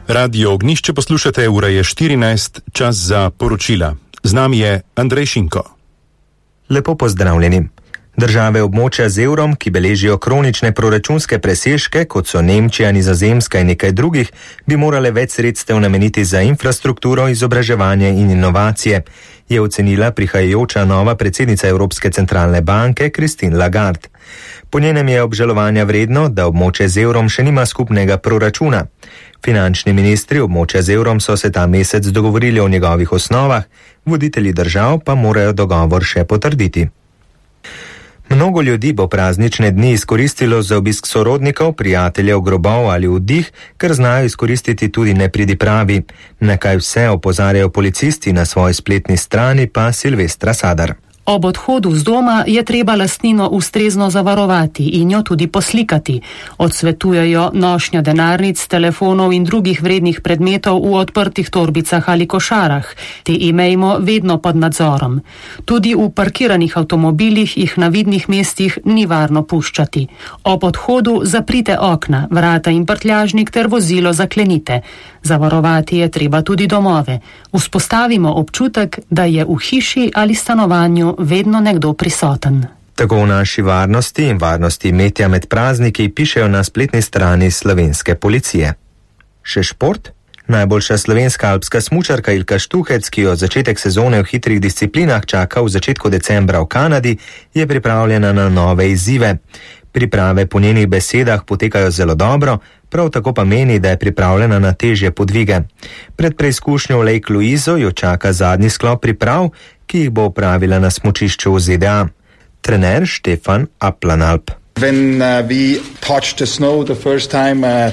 Radio Ognišče poslušate, ura je 14, čas za poročila. Z nami je Andrej Šinko. Lepo pozdravljeni. Države območja z evrom, ki beležijo kronične proračunske presežke, kot so Nemčija, Nizozemska in nekaj drugih, bi morale več sredstev nameniti za infrastrukturo, izobraževanje in inovacije, je ocenila prihajajoča nova predsednica Evropske centralne banke Christine Lagarde. Po njenem je obžalovanja vredno, da območje z evrom še nima skupnega proračuna. Finančni ministri območja z evrom so se ta mesec dogovorili o njegovih osnovah, voditelji držav pa morajo dogovor še potrditi. Mnogo ljudi bo praznične dni izkoristilo za obisk sorodnikov, prijateljev, grobov ali vdih, ker znajo izkoristiti tudi nepridipravi. Na kaj vse opozarjajo policisti na svoji spletni strani, pa Silvestra Sadar. Ob odhodu z doma je treba lastnino ustrezno zavarovati in jo tudi poslikati. Odsvetujejo nošnjo denarnic, telefonov in drugih vrednih predmetov v odprtih torbicah ali košarah. Te imejmo vedno pod nadzorom. Tudi v parkiranih avtomobilih jih na vidnih mestih ni varno puščati. Ob odhodu zaprite okna, vrata in prtljažnik ter vozilo zaklenite. Zavarovati je treba tudi domove. Vzpostavimo občutek, da je v hiši ali stanovanju vedno nekdo prisoten. Tako v naši varnosti in varnosti imetja med prazniki pišejo na spletni strani slovenske policije. Še šport? Najboljša slovenska alpska smučarka Ilka Štuhec, ki jo začetek sezone v hitrih disciplinah čaka v začetku decembra v Kanadi, je pripravljena na nove izzive. Priprave po njenih besedah potekajo zelo dobro, prav tako pa meni, da je pripravljena na težje podvige. Pred preizkušnjo v Lake Louiso jo čaka zadnji sklop priprav, ki jih bo opravila na smučišču v ZDA. Trener Štefan Aplanalp. When we touched the snow the first time to